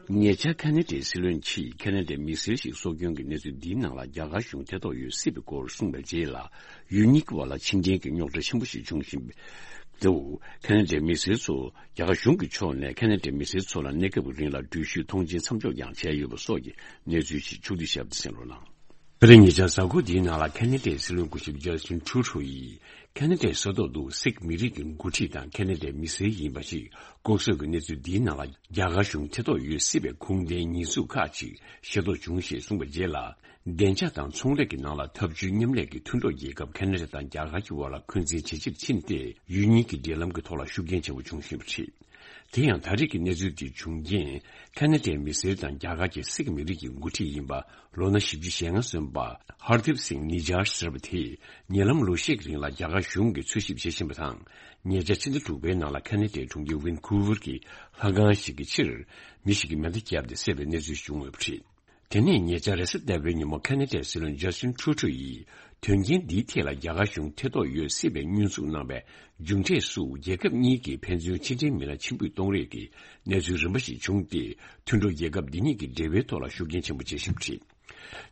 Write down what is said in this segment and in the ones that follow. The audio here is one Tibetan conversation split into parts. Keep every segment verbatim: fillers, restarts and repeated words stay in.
ཉེ་ཆར་ཁ་ན་ཌའི་སྲིད་བློན་གྱིས་ཁ་ན་ཌའི་མི་སེར་ཞིག་སྲོག་སྐྱོན་གྱི་གནས་ཚུལ་འདིའི་ནང་ལ་རྒྱ་གར་གཞུང་ཐེ་གཏོགས་ཡོད་སྲིད་པའི་སྐོར་གསུངས་པའི་རྗེས་ལ། ཡུལ་གཉིས་ཀྱི་བར་ལ་ཕྱི་འབྲེལ་གྱི་རྙོག་དྲ་ཆེན་པོ་ཞིག་བྱུང་བཞིན་པ་འདུག་ཁ་ན་ཌའི་མི་སེར་ཚོ་རྒྱ་གར་གཞུང་གི་ཕྱོགས་ནས་ཁ་ན་ཌའི་མི་སེར་ཚོ་ལ་གནས་སྐབས་ཀྱི་རིང་ལ་འགྲུལ་བཞུད་ཐོངས་མཆན་མཚམས་འཇོག་ཀྱང་བྱས་ཡོད་པ་སོགས་ཀྱི་གནས་ཚུལ་ཞིག་ཕྱོགས་བསྡུས་ཞིབ་ཏུ་གསན་རོགས་གནང་། ཨ་རི་ཉེ་ཆར་གཟའ་འཁོར་འདིའི་ནང་ལ་ཁ་ན་ཌའི་སྲིད་བློན་སྐུ་ཞབས་ཇ་སི་ཊིན་ཊུ་རུ་ཌོ་ཡིས་ཁ་ན་ཌའི་ས་ཐོག་ཏུ་སིག་མི་རིགས་ཀྱི་འགོ་ཁྲིད་དང་ཁ་ན་ཌའི་མི་སེར་ཡིན་པ་ཞིག་ལྐོག་གསོད་ཀྱི་གནས་ཚུལ་འདིའི་ནང་ལ་རྒྱ་གར་གཞུང་ཐེ་གཏོགས་ཡོད་སྲིད་པའི་ཁུངས་ལྡན་ཉེས་འཛུགས་ཁག་ཅིག་ཤེས་རྟོགས་བྱུང་ཞེས་གསུངས་པའི་རྗེས་ལ། བདེ་འཇགས་དང་ཚོང་ལས་ཀྱི་ནང་ལ་འཐབ་ཇུས་མཉམ་ལས་ཀྱི་མཐུན་གྲོགས་རྒྱལ་ཁབ་ཁ་ན་ཌ་དང་རྒྱ་གར་གྱི་དབར་ལ་འཁོན་འཛིན་ཇེ་ཆེར་ཕྱིན་ཏེ། ཡུལ་གཉིས་ཀྱི་འབྲེལ་ལམ་གྱི་ཐོག་ལ་ཤུགས་རྐྱེན་ཆེན་པོ་བྱུང་བཞིན་པ་རེད། དེ་ཡང་ད་རེས་ཀྱི་གནས་ཚུལ་འདི་བྱུང་རྐྱེན། ཁ་ན་ཌའི་མི་སེར་དང་རྒྱ་གར་གྱི་སིག་མི་རིགས་ཀྱི་འགོ་ཁྲིད་ཡིན་པ། ལོ་ན་བཞི་བཅུ་ཞེ་ལྔ་སོན་པ་ཧར་དིབ་སིང་ནི་ཇར་ཟེར་བ་དེས་ཉེ་ལམ་ལོ་ཤས་ཀྱི་རིང་ལ་རྒྱ་གར་གཞུང་གིས་འཚོལ་ཞིབ་བྱེད་བཞིན་པ་དང་། ཉེ་ཆར་ཕྱི་ཟླ་དྲུག་པའི་ནང་ལ་ཁ་ན་ཌའི་གྲོང་ཁྱེར་ཝན་ཁུ་ཝར་གྱི་ལྷ་ཁང་ཞིག་གི་ཕྱིར་མི་ཞིག་གིས་མེ་མདའ་བརྒྱབ་སྟེ་བསད་པའི་གནས་ཚུལ་བྱུང་ཡོད་པ་རེད། དེ་ནས་ཉེ་ཆར་རེས་གཟའ་ཟླ་བའི་ཉིན་མོ་ཁ་ན་ཌའི་སྲིད་བློན་ཇ་སི་ཊིན་ཊུ་རུ་ཌོ་ཡིས་དོན་རྐྱེན་འདིའི་ཐད་ལ་རྒྱ་གར་གཞུང་ཐེ་གཏོགས་ཡོད་སྲིད་པའི་སྐྱོན་འཛུགས་གནང་བའི་མཇུག་འབྲས་སུ་རྒྱལ་ཁབ་གཉིས་ཀྱི་ཕན་ཚུན་ཕྱི་འབྲེལ་མི་སྣ་ཕྱིར་འབུད་གཏོང་རེས་ཀྱི་གནས་ཚུལ་རིམ་པ་ཞིག་བྱུང་སྟེ། མཐུན་གྲོགས་རྒྱལ་ཁབ་འདི་གཉིས་ཀྱི་འབྲེལ་བའི་ཐོག་ལ་ཤུགས་རྐྱེན་ཆེན་པོ་བྱེད་བཞིན་པ་རེད།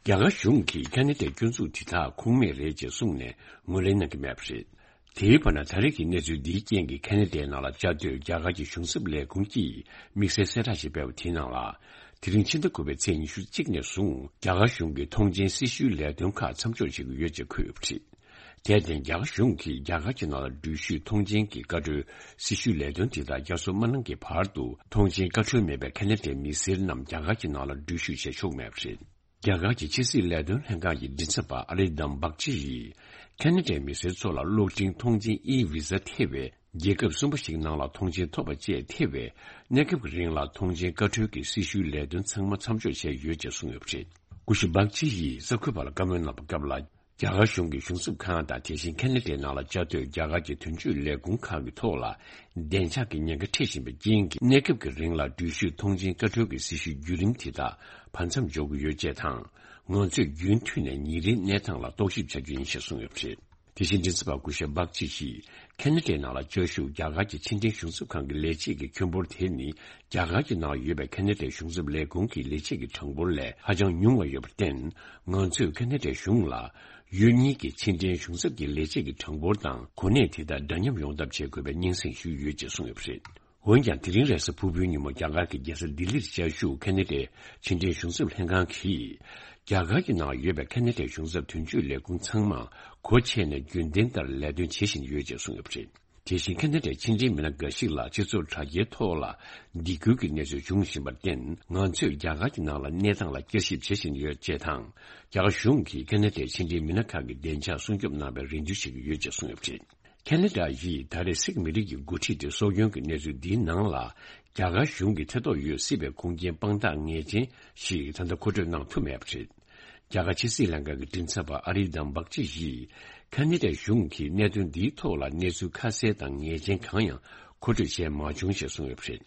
རྒྱ་གར་གཞུང་གིས་ཁ་ན་ཌའི་སྐྱོན་འཛུགས་དེ་དག་ཁུངས་མེད་རེད་ཅེས་གསུངས་ནས་ངོས་ལེན་གནང་གི་མེད་པ་རེད། དེའི་བར་ན་ད་རེས་ཀྱི་གནས་ཚུལ་འདིའི་རྐྱེན་གྱིས་ཁ་ན་ཌའི་ནང་ལ་བཅའ་སྡོད་རྒྱ་གར་གྱི་གཞུང་ཚབ་ལས་ཁུངས་ཀྱིས་དམིགས་བསལ་གསལ་བསྒྲགས་ཤིག་སྤེལ་བ་དེའི་ནང་ལ། དེ་རིང་ཕྱི་ཟླ་དགུ་པའི་ཚེས་ཉི་ཤུ་གཅིག་ནས་བཟུང་རྒྱ་གར་གཞུང་གིས་ཐོངས་མཆན་སྲི་ཞུའི་ལས་དོན་ཁག་མཚམས་འཇོག་བྱེད་ཀྱི་ཡོད་ཅེས་འཁོད་ཡོད་པ་རེད། དེར་བརྟེན་རྒྱ་གར་གཞུང་གིས་རྒྱ་གར་གྱི་ནང་ལ་འགྲུལ་བཞུད་ཐོངས་མཆན་གྱི་བཀའ་འཁྲོལ་སྲི་ཞུའི་ལས་དོན་དེ་དག་བསྐྱར་གསོ་མ་གནང་གི་བར་དུ་ཐོངས་མཆན་བཀའ་འཁྲོལ་མེད་པའི་ཁ་ན་ཌའི་མི་སེར་རྣམས་རྒྱ་གར་གྱི་ནང་ལ་འགྲུལ་བཞུད་བྱེད་ཆོག་མེད་པ་རེད། རྒྱ་གར་གྱི་ཕྱི་སྲིད་ལས་དོན་ལྷན་ཁང་གི་མགྲིན་ཚབ་པ་ཨ་རིན་དམ་བག་ཅི་ཡིས། ཁ་ན་ཌའི་མི་སེར་ཚོ་ལ་གློག་འཕྲིན་ཐོངས་མཆན་ཨི་བི་ཟ་ཐེ་བའི་རྒྱལ་ཁབ་གསུམ་པ་ཞིག་ནང་ལ་ཐོངས་མཆན་ཐོབ་པ་བཅས་ཐེ་བའི་གནས་སྐབས་ཀྱི་རིང་ལ་ཐོངས་མཆན་བཀའ་འཁྲོལ་གྱི་སྲི་ཞུའི་ལས་དོན་ཚང་མ་མཚམས་འཇོག་བྱས་ཡོད་ཅེས་གསུངས་ཡོད་པ་རེད། སྐུ་ཞབས་བག་ཅི་ཡིས་གསར་འགོད་པ་ལ་བཀའ་མོལ་གནང་བའི་སྐབས་ལ། རྒྱ་གར་གཞུང་གི་གཞུང་ཚབ་ཁང་དང་དེ་བཞིན་ཁ་ན་ཌའི་ནང་ལ་བཅའ་སྡོད་རྒྱ་གར་གྱི་དོན་གཅོད་ལས་ཁུངས་ཁག་གི་ཐོག་ལ་བདེ་འཇགས་ཀྱི་ཉེན་ཁ་འཕྲད་བཞིན་པའི་རྐྱེན་གྱིས་གནས་སྐབས་ཀྱི་རིང་ལ་འགྲུལ་བཞུད་ཐོངས་མཆན་བཀའ་འཁྲོལ་གྱི་སྲི་ཞུའི་བརྒྱུད་རིམ་དེ་དག་བར་མཚམས་འཇོག་གི་ཡོད་ཅེས་དང་། ང་ཚོས་རྒྱུན་མཐུད་ནས་ཉིན་རེའི་གནས་སྟངས་ལ་རྟོག་ཞིབ་བྱ་རྒྱུ་ཡིན་ཞེས་གསུངས་ཡོད་པ་རེད། དེ་བཞིན་མགྲིན་ཚབ་པ་སྐུ་ཞབས་བག་ཅི་ཡིས་ཁ་ན་ཌའི་ནང་ལ་བཅའ་བཞུགས་རྒྱ་གར་གྱི་ཕྱི་འབྲེལ་གཞུང་ཚབ་ཁང་གི་ལས་བྱེད་ཀྱི་ཁྱོན་འབོར་དེ་ནི་རྒྱ་གར་གྱི་ནང་ཡོད་པའི་ཁ་ན་ཌའི་གཞུང་ཚབ་ལས་ཁུངས་ཀྱི་ལས་བྱེད་ཀྱི་གྲངས་འབོར་ལས་ཧ་ཅང་ཉུང་བ་ཡོད་པར་བརྟེན། ང་ཚོས་ཁ་ན་ཌའི་གཞུང་ལ་ཡུལ་གཉིས་ཀྱི་ཕྱི་འབྲེལ་གཞུང་ཚབ་ཀྱི་ལས་བྱེད་ཀྱི་གྲངས་འབོར་དང་གོ་གནས་དེ་དག་འདྲ་མཉམ་ཡོང་ཐབས་བྱེད་དགོས་པའི་སྙན་སེང་ཞུས་ཡོད་ཅེས་གསུངས་ཡོད་པ་རེད། འོན་ཀྱང་དེ་རིང་རེས་གཟའ་ཕུར་བུའི་ཉིན་མོ་རྒྱ་གར་གྱི་རྒྱལ་ས་ལྡི་ལིར་བཅའ་བཞུགས་ཁ་ན་ཌའི་ཕྱི་འབྲེལ་གཞུང་ཚབ་ལྷན་ཁང་གིས། རྒྱ་གར་གྱི་ནང་ཡོད་པའི་ཁ་ན་ཌའི་གཞུང་ཚབ་དོན་གཅོད་ལས་ཁུངས་ཚང་མ་སྒོ་ཕྱེ་ནས་རྒྱུན་ལྡན་ལྟར་ལས་དོན་བྱེད་བཞིན་ཡོད་ཅེས་གསུངས་ཡོད་པ་རེད། དེ་བཞིན་ཁ་ན་ཌའི་ཕྱི་འབྲེལ་མི་སྣ་འགའ་ཞིག་ལ་སྤྱི་ཚོགས་དྲ་རྒྱའི་ཐོག་ལ་སྡིགས་སྐུལ་གྱི་གནས་ཚུལ་འབྱུང་བཞིན་པར་བརྟེན། ང་ཚོས་རྒྱ་གར་གྱི་ནང་ལ་གནས་སྟངས་ལ་བསྐྱར་ཞིབ་བྱེད་བཞིན་ཡོད་ཅེས་དང་། རྒྱ་གར་གཞུང་གིས་ཁ་ན་ཌའི་ཕྱི་འབྲེལ་མི་སྣ་ཁག་གི་བདེ་འཇགས་སྲུང་སྐྱོབ་གནང་བའི་རེ་འདུན་བྱེད་ཀྱི་ཡོད་ཅེས་གསུངས་ཡོད་པ་རེད། ཁ་ན་ཌ་ཡིས་ད་རེས་སིག་མི་རིགས་ཀྱི་འགོ་ཁྲིད་དེ་སྲོག་སྐྱོན་གྱི་གནས་ཚུལ་འདིའི་ནང་ལ་རྒྱ་གར་གཞུང་གིས་ཐེ་གཏོགས་ཡོད་སྲིད་པའི་ཁུངས་སྐྱེལ་དཔང་རྟགས་ངེས་ཅན་ཞིག་ད་ལྟ་མཁོ་སྤྲོད་གནང་ཐུབ་མེད་པ་རེད། རྒྱ་གར་ཕྱི་སྲིད་ལྷན་ཁང་གི་མགྲིན་ཚབ་པ་ཨ་རི་དམ་བག་ཅི་ཡིས་ཁ་ན་ཌའི་གཞུང་གིས་གནད་དོན་འདིའི་ཐོག་ལ་གནས་ཚུལ་ཁ་གསལ་དང་ངེས་ཅན་གང་ཡང་མཁོ་སྤྲོད་བྱས་མ་བྱུང་ཞེས་གསུངས་ཡོད་པ་རེད།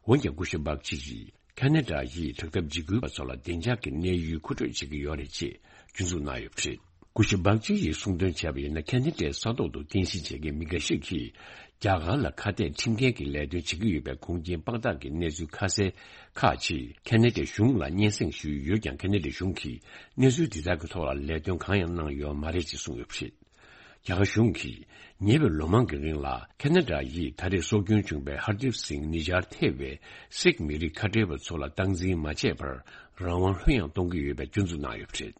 འོན་ཀྱང་སྐུ་ཞབས་བག་ཅི་ཡིས་ཁ་ན་ཌ་ཡིས་དྲག་འཐབ་འཇིགས་སྐུལ་བ་ཚོ་ལ་བདེ་འཇགས་ཀྱི་གནས་ཡུལ་མཁོ་སྤྲོད་བྱེད་ཀྱི་ཡོད་རེད་ཅེས་སྐྱོན་འཛུགས་གནང་ཡོད་པ་རེད། སྐུ་ཞབས་བག་ཅི་ཡིས་གསུངས་དོན་བྱས་པ་ཡིན་ན། ཁ་ན་ཌའི་ས་ཐོག་ཏུ་རྟེན་གཞི་བྱེད་མཁན་མི་འགའ་ཞིག་གིས་རྒྱ་གར་ལ་ཁ་གཏད་ཁྲིམས་འགལ་གྱི་ལས་དོན་བྱེད་ཀྱི་ཡོད་པའི་ཁུངས་སྐྱེལ་དཔང་རྟགས་ཀྱི་གནས་ཚུལ་ཁ་གསལ་ཁག་ཅིག་ཁ་ན་ཌའི་གཞུང་ལ་སྙན་སེང་ཞུས་ཡོད་ཀྱང་། ཁ་ན་ཌའི་གཞུང་གིས་གནས་ཚུལ་འདི་དག་གི་ཐོག་ལ་ལས་དོན་གང་ཡང་གནང་ཡོད་མ་རེད་ཅེས་གསུངས་ཡོད་པ་རེད། རྒྱ་གར་གཞུང་གིས་ཉེ་བའི་ལོ་མང་གི་རིང་ལ་ཁ་ན་ཌ་ཡིས་ད་རེས་སྲོག་སྐྱོན་བྱུང་བའི་ཧར་དིབ་སིང་ནི་ཇར་ཐེ་བའི་སིག་མི་རིགས་ཁ་བྲལ་བ་ཚོ་ལ་སྟངས་འཛིན་མ་བྱས་པར་རང་དབང་ལྷོད་ཡངས་གཏོང་གི་ཡོད་པའི་སྐྱོན་འཛུགས་གནང་ཡོད་པ་རེད།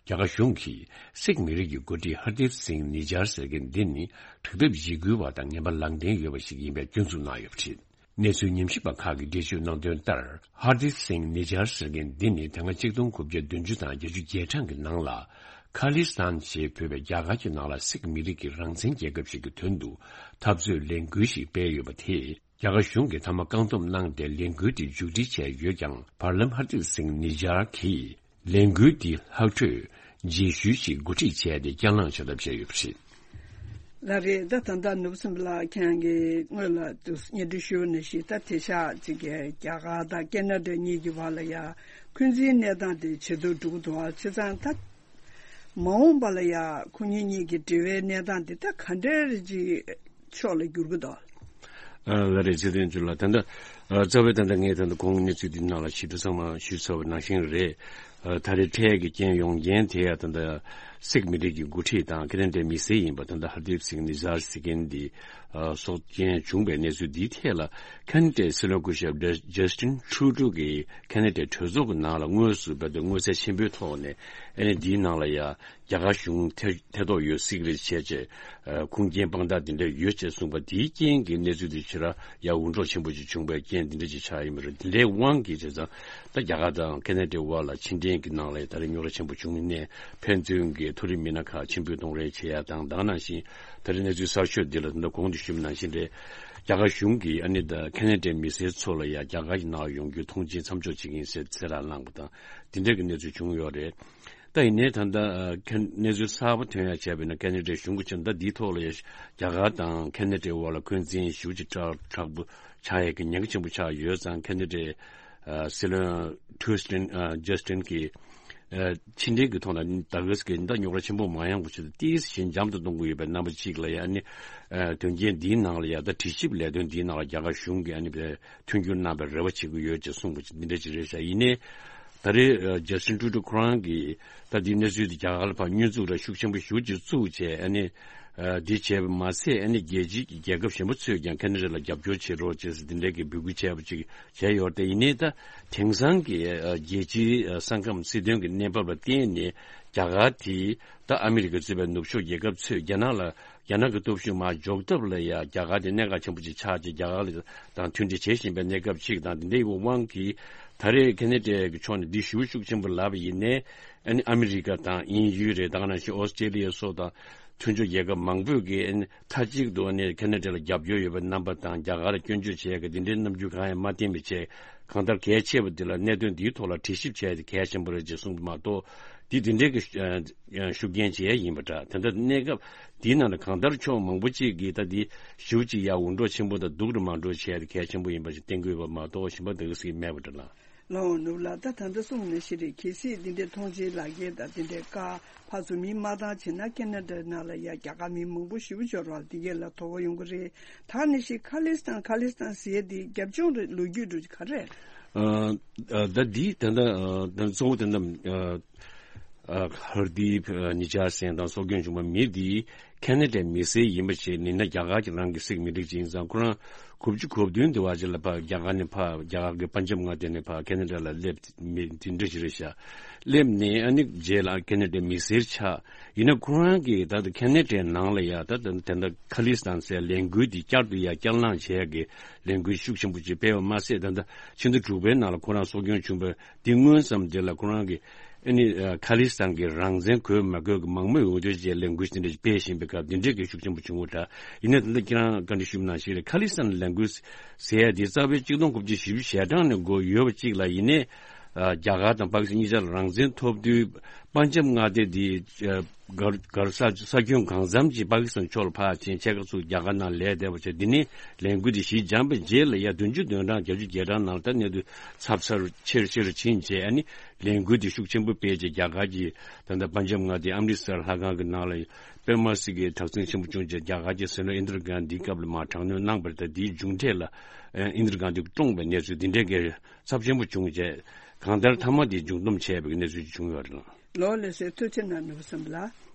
རྒྱ་གར་གཞུང་གིས་སིག་མི་རིགས་ཀྱི་འགོ་ཁྲིད་ཧར་དིབ་སིང་ནི་ཇར་ཟེར་མཁན་འདི་ནི་དྲག་འཐབ་འཇིགས་སྐུལ་བ་དང་ངན་པ་ལངས་གདན་ཡོད་པ་ཞིག་ཡིན་པའི་སྐྱོན་འཛུགས་གནང་ཡོད་པ་རེད། གནས་ཚུལ་ཉམས་ཞིབ་པ་ཁག་གིས་འགྲེལ་བརྗོད་གནང་དོན་ལྟར། ཧར་དིབ་སིང་ནི་ཇར་ཟེར་མཁན་འདི་ནི་དེ་སྔ་ཆིག་སྟོང་དགུ་བརྒྱ་བདུན་ཅུ་དང་བརྒྱད་ཅུ་གྱ་གྲངས་ཀྱི་ནང་ལ་ཁ་ལི་སི་ཐན་ཞེས་འབོད་པའི་རྒྱ་གར་གྱི་ནང་ལ་སིག་མི་རིགས་ཀྱི་རང་བཙན་རྒྱལ་ཁབ་ཞིག་གི་དོན་དུ་འཐབ་རྩོད་ལས་འགུལ་ཞིག་སྤེལ་ཡོད་པ་དེས། རྒྱ་གར་གཞུང་གིས་མཐའ་མ་བཀག་སྡོམ་གནང་སྟེ་ལས་འགུལ་དེ་མཇུག་སྒྲིལ་བྱས་ཡོད་ཀྱང་། བར་ལམ་ཧར་དིབ་སིང་ནི་ཇར་གྱིས་ལས་འགུལ་འདི་ལྷག་འཕྲོས་རྗེས་ཤུལ་ཞིག་འགོ་ཁྲིད་བྱས་ཏེ་བསྐྱར་ལངས་བྱ་ཐབས་བྱས་ཡོད་པ་རེད། ལགས་རེད། ད་ད་ལྟ་ནོར་བུ་སེམས་ལགས་ཁྱེད་རང་གིས་སྔོན་ལ་དུ་སྙན་སྒྲོན་ཞུས་པ་ནང་བཞིན། ད་དེང་སང་ཅིག་གི་རྒྱ་གར་དང་ཁ་ན་ཌ་གཉིས་ཀྱི་བར་ལ་ཡ་འཁོན་འཛིན་གནས་སྟངས་དེ་ཇེ་སྡུག་འགྲོ་གི་འདུག་ཨ། བྱས་ཙང་ད་མ་འོངས་པ་ལ་ཡ་ཁོ་གཉིས་གཉིས་ཀྱི་འབྲེལ་བའི་གནས་སྟངས་དེ་ད་ག་འདྲའི་ཅིག་ཕྱོགས་ལ་འགྱུར་གི་འདུག་ཨ། ལགས་རེད། ཚེ་བརྟན་ཇོ་ལགས། ད་ལྟ་ ཨ། རྩ་བའི་ད་ལྟ་ངས་ད་ལྟ་གོང་གནས་ཚུལ་འདི་ནང་ལ་ཞིབ་ཏུ་ཚང་མ་ཞུས་ཚར་བ་ནང་བཞིན་རེད། ཨ། ད་རེས་འཕྲལ་གྱི་རྐྱེན་ཡོང་རྐྱེན་དེ་ཡང་ད་ལྟ་སིག་མི་རིགས་ཀྱི་འགོ་ཁྲིད་དང་ཁེ་ན་ཌའི་མི་སེར་ཡིན་པ་ད་ལྟ་ཧར་དིབ་སིག་ནི་ཛར་ཟེར་མཁན་འདི། ཨ། སྲོག་སྐྱོན་བྱུང་བའི་གནས་ཚུལ་འདིའི་ཐད་ལ་ཁེ་ན་ཌའི་སྲིད་བློན་སྐུ་ཞབས་ཇ་ཇ་སི་ཊིན་ཊུ་རུ་ཌོ་གིས་ཁེ་ན་ཌའི་གྲོས་ཚོགས་ཀྱི་ནང་ལ་དངོས་སུ་བོད་དུ་མངོན་གསལ་ཆེན་པོའི་ཐོག་ནས་ཨ་ནི་འདིའི་ནང་ལ་ཡ། རྒྱ་གར་གཞུང་ཐེ་ཐེ་གཏོགས་ཡོད་སྲིད་རེད་བྱས་བྱས། ཨ། ཁུངས་སྐྱེལ་དཔང་རྟགས་འདི་འདྲ་ཡོད་ཅེས་གསུངས་པ་དེའི་རྐྱེན་གྱིས་གནས་ཚུལ་འདི་ཕྱིར་ཡང་འུར་སྒྲོག་ཆེན་པོ་ཅིག་བྱུང་བའི་རྐྱེན་འདི་འདྲ་ཅིག་ཆགས་ཡིན་པ་རེད། འདི་འདྲའི་དབང་གིས་བྱས་ཙང་ད་རྒྱ་གར་དང་ཁེ་ན་ཌའི་དབར་ལ་ཕྱི་འབྲེལ་གྱི་ནང་ལ་ད་རེས་རྙོག་དྲ་ཆེན་པོ་བྱུང་ནས་ཕན་ཚུན་གྱི་མཐོ་རིམ་མི་སྣ་ཁག་ཕྱིར་འབུད་གཏོང་རེས་བྱེད་ཡ་དང་། ད་ག་ནང་བཞིན་ད་རེས་གནས་ཚུལ་གསར་ཤོས་འདི་ལ་ད་གོང་དུ་ཞུས་པ་ནང་བཞིན་རེད། རྒྱ་གར་གཞུང་གིས་ཨ་ནི་ད་ཁེ་ན་ཌའི་མི་སེར་ཚོ་ལ་ཡ་རྒྱ་གར་གྱི་ནང་ཡོང་རྒྱུའི་ཐོངས་མཆན་མཚམས་འཇོག་བྱེད་ཀྱི་ཡིན་ཟེར་གསལ་བསྒྲགས་གནང་པ་དང་འདི་འདྲ་གི་གནས་ཚུལ་བྱུང་ཡོད་རེད། ད་ཡིན་ནའི་ད་ལྟ་ཨ་ཁེ་གནས་ཚུལ་གསར་པ་ཐོན་ཡ་བྱས་པ་ཡིན་ན་ཁེ་ན་ཌའི་གཞུང་གི་ཕྱོགས་ནས་ད་འདིའི་ཐོག་ལ་ཡ་རྒྱ་གར་དང་ཁེ་ན་ཌའི་དབར་ལ་འཁོན་འཛིན་ཞེ་པོ་ཅིག་དྲག་དྲག་པོ་ཆགས་ཡ་གི་ཉེན་ཁ་ཆེན་པོ་ཆགས་ཡོད་ཙང་ཁེ་ན་ཌའི་ཨ་སྲིད་བློན་ཊུ་སི་ཊིན་ཨ་ཇ་སི་ཊིན་གྱིས་ཨ་ཕྱི་འབྲེལ་གྱི་ཐོག་ལ་ད་ག་ཟེ་གི་ད་རྙོག་དྲ་ཆེན་པོ་མ་ཡོང་བ་ཆེད་དུ་ཏོག་ཙམ་ཞི་འཇམ་དུ་གཏོང་དགོས་ཡོད་པའི་རྣམ་པ་གཅིག་ལ་ཡ་ནི་ཨ་དོན་རྐྱེན་འདིའི་ནང་ལ་ཡ་ད་དྲི་ཞིབ་ལས་དོན་འདིའི་ནང་ལ་རྒྱ་གར་གཞུང་གིས་ཨ་ནི་མཐུན་འགྱུར་གནང་བའི་རེ་བ་བྱེད་ཀྱི་ཡོད་ཅེས་གསུངས་པ་འདི་འདྲ་ཅིག་རེད་ཤག་ཡིན་ནའི། ད་རེས་ཇ་སི་ཊིན་ཊུ་རུ་ཌོ་ཁོ་རང་གིས་ད་འདི་གནས་ཚུལ་འདི་རྒྱ་གར་ལ་ཕར་བསྙོན་འཛུགས་ར་ཤུགས་ཆེན་པོ་ཞེ་པོ་ཅིག་བཙུགས་བྱས་ཨ་ནི་འདི་བྱས་པ་མ་ཟད་ཨ་ནི་རྒྱལ་སྤྱིའི་རྒྱལ་ཁབ་གཞན་པ་ཚོས་ཀྱང་ཁེ་ན་ཌ་ལ་རྒྱབ་སྐྱོར་བྱེད་རོགས་ཅེས་འདི་འདྲའི་གི་འབོད་སྐུལ་བྱས་པ་ཅིག་བྱས་ཡོད་རེད། ཡིན་ནའི་ད་དེང་སང་གི་རྒྱལ་སྤྱིའི་ས་ཁམས་སྲིད་དོན་གྱི་གནས་བབ་ལ་བརྟེན་ནས་རྒྱ་གར་དེས་ད་ཨ་མི་རི་ཀ་གཙོས་པའི་ནུབ་ཕྱོགས་རྒྱལ་ཁབ་ཚོས་རྒྱ་ནག་ལ་རྒྱ་ནག་གི་སྟོབས་ཤུགས་མར་འཇོག་ཐབས་ལ་ཡང་རྒྱ་གར་དེ་གནད་འགག་ཆེན་པོ་ཅིག་ཆགས་ཀྱི་རྒྱ་གར་ལ་དང་མཐུན་སྒྲིལ་བྱེད་བཞིན་པའི་གནས་སྐབས་ཅིག་དང་དེ་འདྲའི་དབང་གིས་ད་རེས་ཁེ་ན་ཌའི་གི་ཕྱོགས་ནས་འདི་ཞེ་པོ་ཤུགས་ཆེན་པོ་ལབ་པ་ཡིན་ནའི་ཨ་ནི་ཨ་མི་རི་ཀ་དང་དབྱིན་ཡུལ་རེད། ད་ག་ནང་བཞིན་ཨོ་སི་ཀྲེ་ལི་ཡ་སོགས་དང་མཐུན་ཕྱོགས་རྒྱལ་ཁབ་མང་པོས་ཀྱིས་ཨ་ནི་མཐའ་གཅིག་ཏུ་ཨ་ནི་ཁེ་ན་ཌ་ལ་རྒྱབ་སྐྱོར་ཡོད་པའི་རྣམ་པ་དང་རྒྱ་གར་ལ་སྐྱོན་བརྗོད་བྱེད་ཡག་གི་འདི་འདྲའི་རྣམ་འགྱུར་གང་ཡང་མ་བསྟན་པའི་ཆེད་གང་ལྟར་གལ་ཆེ་བ་འདི་ལ་གནད་དོན་འདིའི་ཐོག་ལ་དྲི་ཞིབ་བྱས་ཏེ་གལ་ཆེན་པོ་རེད་ཅེས་གསུངས་པ་མ་གཏོགས་འདི་འདི་འདྲའི་གི་ཤུགས་རྐྱེན་བྱེད་ཡ་ཡིན་པ་འདྲ། དེ་འདྲ་གནས་སྐབས་འདིའི་ནང་ལ་གང་ལྟར་ཕྱོགས་མང་པོ་ཅིག་གིས་ད་འདི་ཞེ་པོ་ཅིག་ཡ་འུར་སྒྲོག་ཆེན་པོ་དང་སྡུག་རུ་མ་འགྲོ་བྱས་ཏེ་གལ་ཆེན་པོ་ཡིན་པ་ཞིག་བསྟན་དགོས་པ་མ་གཏོགས་གཞན་པ་འདི་ག་ཟིག་མེད་པ་འདྲ་ལ། ལའོ་ནུབ་ལ་ད་ད་ལྟ་གསུངས་ནང་བཞིན་རེད། གལ་སྲིད་འདི་འདྲའི་ཐོངས་མཆན་ལག་འཁྱེར་དང་འདི་འདྲའི་བཀའ་ཕར་ཚུར་མི་མ་བཏང་བྱས་ན་ཁེ་ན་ཌ་ནང་ལ་ཡ་རྒྱ་གར་མི་མང་པོ་ཞེ་པོ་ཅིག་ཡོད་རེད་བ། འདི་གས་ལ་དོ་ཕོག་ཡོང་གི་རེད། ད་ནང་བཞིན་ཁ་ལིས་ཐན་ཁ་ལིས་ཐན་ཟེར་ཡ་འདི་རྒྱབ་ལྗོངས་རེད། ལོ་རྒྱུས་འདྲ་ག་རེ་རེད། ཨ་ཨ་ད་འདི་ད་ལྟ་ཨ་ད་གཙོ་བོ་ད་ལྟ་ཨ་ཨ་ཧར་དིབ་ཨ་ནི་ཇར་སེན་དང་སྲོག་སྐྱོན་བྱུང་བ་མི་འདི་ཁེ་ན་ཌའི་མི་སེར་ཡིན་པ་ཞིག་ཡིན་ན་རྒྱ་གར་གྱི་རང་གི་སིག་མི་རིགས་ཅིག་ཡིན་ཙང་ཁོ་རང་གོ་བཅུ་གོ་བདུན་དེ་བར་ཅིག་ལ་ཕར་རྒྱ་གར་ནས་ཕར་རྒྱ་གར་གྱི་པན་ཇབ་མངའ་སྡེ་ནས་ཕར་ཁེ་ན་ཌ་ལ་སླེབས་མི་དེ་འདྲ་ཞིག་རེད་ཤག་སླེབས་ནས་ཨ་ནི་རྗེས་ལ་ཁེ་ན་ཌའི་མི་སེར་ཆགས། ཡིན་ན་ཁོ་རང་གིས་ད་ལྟ་ཁེ་ན་ཌའི་ནང་ལ་ཡ་ད་ལྟ་དེ་འདྲ་ཁ་ལིས་ཐན་ཟེར་ལས་འགུལ་འདི་བསྐྱར་དུ་ཡ་བསྐྱར་ལངས་བྱས་ཀྱི་ལས་འགུལ་ཤུགས་ཆེན་པོ་ཅིག་སྤེལ་བ་མ་ཟད་ད་ལྟ་ཕྱི་ཟླ་དྲུག་པའི་ནང་ལ་ཁོ་རང་སྲོག་སྐྱོན་བྱུང་བའི་འདི་སྔོན་ཙམ་འདི་ལ་ཁོ་རང་གིས་ཨ་ནི་ཨ་ཁ་ལིས་ཐན་གྱི་རང་བཙན་དགོས་མ་དགོས་ཀྱི་མང་མོས་འོས་བསྡུ་བཅས་ལས་འགུལ་འདི་འདྲ་སྤེལ་བཞིན་པའི་སྐབས་འདི་འདྲའི་གི་ཤུགས་ཆེན་པོ་བྱུང་བ་འདྲ། ཡིན་ནའི་ད་ལྟ་ཁྱེད་རང་བཀའ་འདྲི་ཞུས་པ་ནང་བཞིན་རེད། ཁ་ལིས་ཐན་ལས་འགུལ་ཟེར་ཡ་འདི་རྩ་བའི་གཅིག་སྟོང་དགུ་བརྒྱ་བཞི་བཅུ་ཞེ་གྲངས་ནས་འགོ་ཡོད་པ་གཅིག་ལ་ཡིན་ནའི་ཨ་རྒྱ་གར་དང་པ་ཀི་སི་ཐན་གཉིས་ཆར་རང་བཙན་ཐོབ་དུས་པན་ཇབ་མངའ་སྡེ་འདི་ཨ་གར་གར་ས་ས་ཁྱོན་གང་འཚམ་ཅིག་པ་ཀི་སི་ཐན་ཕྱོགས་ལ་ཕར་ཕྱིན། ཕྱེད་ཀ་ཚུར་རྒྱ་གར་ནང་ལས་བསྡད་པ་བྱས། འདི་ནས་ལས་འགུལ་འདི་ཞི་འཇམ་པའི་རྗེས་ལ་ཡ་བདུན་ཅུ་དོན་གྲངས་བརྒྱད་ཅུ་གྱ་གྲངས་ནང་ལ་ད་གནས་ཚུལ་ཚབས་ཚུབ་ཆེ་རུ་ཆེ་རུ་ཕྱིན་བྱས། ཨ་ནི་ལས་འགུལ་འདི་ཤུགས་ཆེན་པོ་སྤེལ་བྱས་རྒྱ་གར་གྱི་ད་ལྟ་པན་ཇབ་མངའ་སྡེའི་ཨམ་རི་སར་ལྷ་ཁང་གི་ནང་ལ་དཔེ་མ་སྲིད་ཀྱི་དྲག་ཟིང་ཆེན་པོ་བྱུང་བྱས་རྒྱ་གར་གྱི་སྲིད་བློན་ཨིན་དྲ་གྷན་དྷིའི་སྐབས་ལ་མར་དྲག་གནོན་གནང་བ་རེད། ད་འདིའི་མཇུག་འབྲས་ལ་ཨིན་དྲ་གྷན་དྷི་བཀྲོངས་པའི་གནས་ཚུལ་འདི་འདྲའི་གི་ཚབས་ཆེན་པོ་བྱུང་བྱས་གང་ལྟར་མཐའ་མ་འདི་མཇུག་སྡོམ་བྱས་པའི་གནས་ཚུལ་ཅིག་བྱུང་ཡོད་རེད། ལགས་ལགས་སོ། ཐུགས་རྗེ་གནང་ནོར་བུ་བསམ་ལགས།